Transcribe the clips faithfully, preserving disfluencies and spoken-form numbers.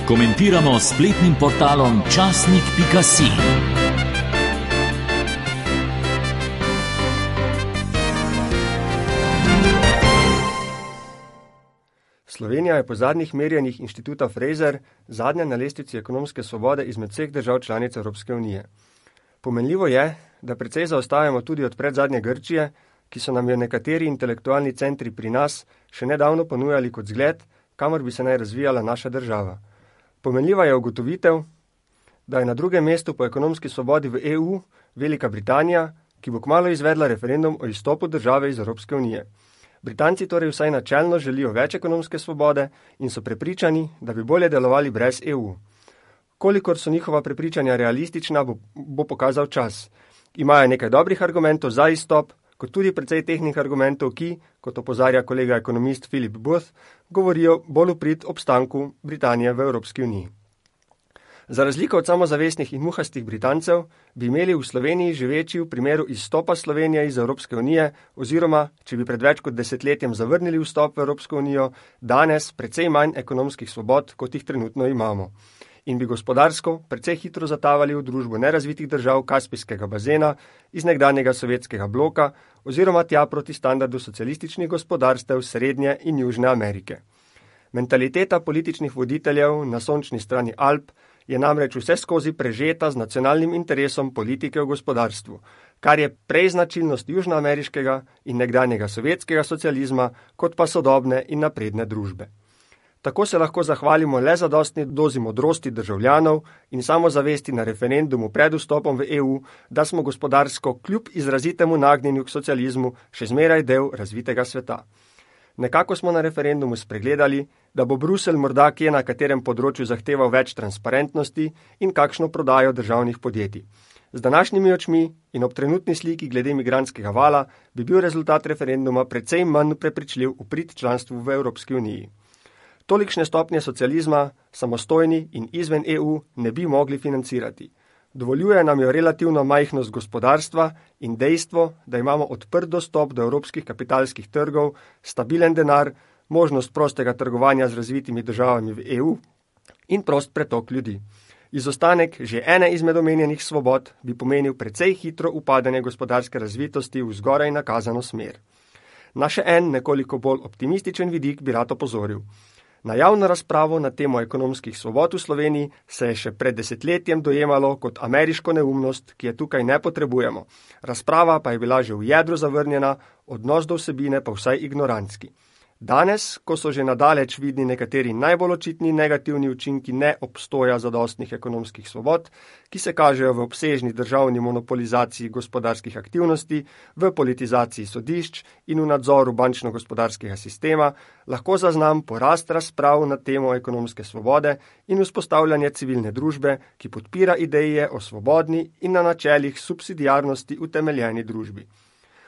Komentiramo s spletnim portalom časnik pika si. Slovenija je po zadnjih merjenjih inštituta Fraser zadnja na lestvici ekonomske svobode izmed vseh držav članic Evropske unije. Pomenljivo je, da precej zaostajamo tudi od predzadnje Grčije, ki so nam jo nekateri intelektualni centri pri nas še nedavno ponujali kot zgled, kamor bi se naj razvijala naša država. Pomenljiva je ugotovitev, da je na drugem mestu po ekonomski svobodi v E U Velika Britanija, ki bo kmalu izvedla referendum o izstopu države iz Evropske unije. Britanci torej vsaj načelno želijo več ekonomske svobode in so prepričani, da bi bolje delovali brez E U. Kolikor so njihova prepričanja realistična, bo, bo pokazal čas. Imajo nekaj dobrih argumentov za izstop, kot tudi precej tehnih argumentov, ki, kot opozarja kolega ekonomist Philip Booth, govorijo bolj v prid obstanku Britanije v Evropski uniji. Za razliko od samozavestnih in muhastih Britancev bi imeli v Sloveniji živeči v primeru izstopa Slovenije iz Evropske unije oziroma, če bi pred več kot desetletjem zavrnili vstop v Evropsko unijo, danes precej manj ekonomskih svobod, kot jih trenutno imamo. In bi gospodarsko precej hitro zatavali v družbo nerazvitih držav Kaspijskega bazena iz nekdanjega sovjetskega bloka oziroma tja proti standardu socialističnih gospodarstev Srednje in Južne Amerike. Mentaliteta političnih voditeljev na sončni strani Alp je namreč vse skozi prežeta z nacionalnim interesom politike v gospodarstvu, kar je prej značilnost južnoameriškega in nekdanjega sovjetskega socializma, kot pa sodobne in napredne družbe. Tako se lahko zahvalimo le zadostni dozi modrosti državljanov in samozavesti na referendumu pred vstopom v E U, da smo gospodarsko kljub izrazitemu nagnjenju k socializmu še zmeraj del razvitega sveta. Nekako smo na referendumu spregledali, da bo Bruselj morda kje na katerem področju zahteval več transparentnosti in kakšno prodajo državnih podjetij. Z današnjimi očmi in ob trenutni sliki glede migrantskega vala bi bil rezultat referenduma precej manj prepričljiv v prid članstvu v Evropski uniji. Tolikšne stopnje socializma, samostojni in izven E U, ne bi mogli financirati. Dovoljuje nam jo relativno majhnost gospodarstva in dejstvo, da imamo odprt dostop do evropskih kapitalskih trgov, stabilen denar, možnost prostega trgovanja z razvitimi državami v E U in prost pretok ljudi. Izostanek že ene izmed omenjenih svobod bi pomenil precej hitro upadanje gospodarske razvitosti v zgoraj nakazano smer. Na še en nekoliko bolj optimističen vidik bi rad opozoril. Na javno razpravo na temo ekonomskih svobod v Sloveniji se je še pred desetletjem dojemalo kot ameriško neumnost, ki je tukaj ne potrebujemo. Razprava pa je bila že v jedru zavrnjena, odnos do vsebine pa vsaj ignorantski. Danes, ko so že nadaleč vidni nekateri najbolj očitni negativni učinki neobstoja zadostnih ekonomskih svobod, ki se kažejo v obsežni državni monopolizaciji gospodarskih aktivnosti, v politizaciji sodišč in v nadzoru bančno-gospodarskega sistema, lahko zaznam porast razprav na temo ekonomske svobode in vzpostavljanje civilne družbe, ki podpira ideje o svobodni in na načelih subsidiarnosti utemeljeni družbi.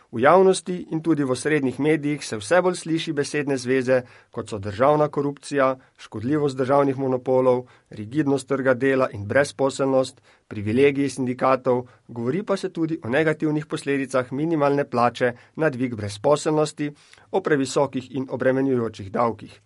V javnosti in tudi v osrednjih medijih se vse bolj sliši besedne zveze, kot so državna korupcija, škodljivost državnih monopolov, rigidnost trga dela in brezposelnost, privilegiji sindikatov, govori pa se tudi o negativnih posledicah minimalne plače na dvig brezposelnosti, o previsokih in obremenjujočih davkih.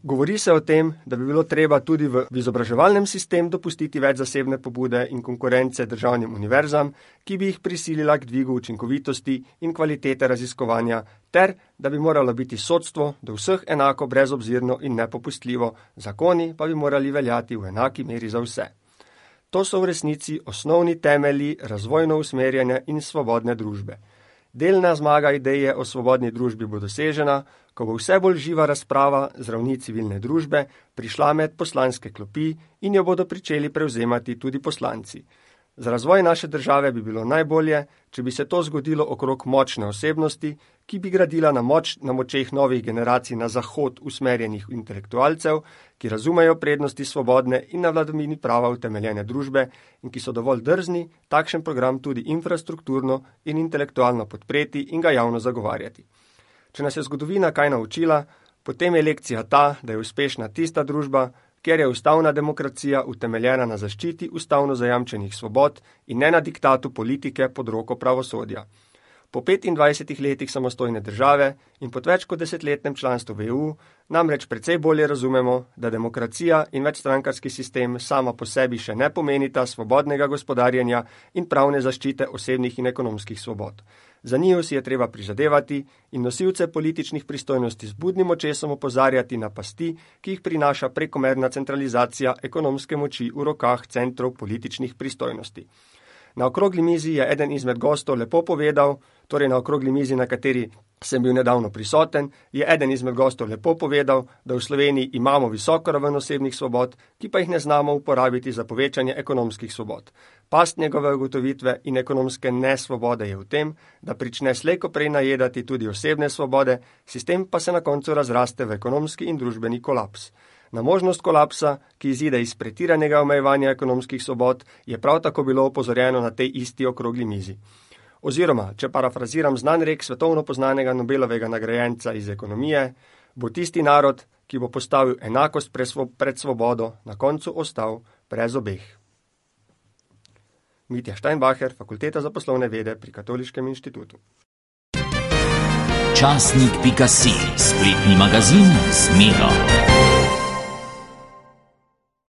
Govori se o tem, da bi bilo treba tudi v izobraževalnem sistemu dopustiti več zasebne pobude in konkurence državnim univerzam, ki bi jih prisilila k dvigu učinkovitosti in kvalitete raziskovanja, ter da bi moralo biti sodstvo do vseh enako brezobzirno in nepopustljivo, zakoni pa bi morali veljati v enaki meri za vse. To so v resnici osnovni temelji razvojno usmerjene in svobodne družbe. Delna zmaga ideje o svobodni družbi bo dosežena, ko bo vse bolj živa razprava z ravni civilne družbe prišla med poslanske klopi in jo bodo pričeli prevzemati tudi poslanci. Za razvoj naše države bi bilo najbolje, če bi se to zgodilo okrog močne osebnosti, ki bi gradila na, moč, na močeh novih generacij na zahod usmerjenih intelektualcev, ki razumejo prednosti svobodne in na vladavini prava utemeljene družbe in ki so dovolj drzni takšen program tudi infrastrukturno in intelektualno podpreti in ga javno zagovarjati. Če nas je zgodovina kaj naučila, potem je lekcija ta, da je uspešna tista družba, kjer je ustavna demokracija utemeljena na zaščiti ustavno zajamčenih svobod in ne na diktatu politike pod roko pravosodja. Po petindvajsetih letih samostojne države in po več kot desetletnem članstvu v E U namreč precej bolje razumemo, da demokracija in večstrankarski sistem sama po sebi še ne pomenita svobodnega gospodarjenja in pravne zaščite osebnih in ekonomskih svobod. Za njiju si je treba prizadevati in nosilce političnih pristojnosti z budnim očesom opozarjati na pasti, ki jih prinaša prekomerna centralizacija ekonomske moči v rokah centrov političnih pristojnosti. Na okrogli mizi je eden izmed gostov lepo povedal, torej na okrogli mizi, na kateri sem bil nedavno prisoten, je eden izmed gostov lepo povedal, da v Sloveniji imamo visoko raven osebnih svobod, ki pa jih ne znamo uporabiti za povečanje ekonomskih svobod. Past njegove ugotovitve in ekonomske nesvobode je v tem, da prične slejko prej najedati tudi osebne svobode, sistem pa se na koncu razraste v ekonomski in družbeni kolaps. Na možnost kolapsa, ki izide iz pretiranega omejevanja ekonomskih svobod, je prav tako bilo opozorjeno na tej isti okrogli mizi. Oziroma, če parafraziram znan rek svetovno poznanega Nobelovega nagrajenca iz ekonomije, bo tisti narod, ki bo postavil enakost pred svobodo, na koncu ostal brez obeh. Mitja Steinbacher, Fakulteta za poslovne vede pri Katoliškem inštitutu. Časnik pika si, spletni magazin z Miro.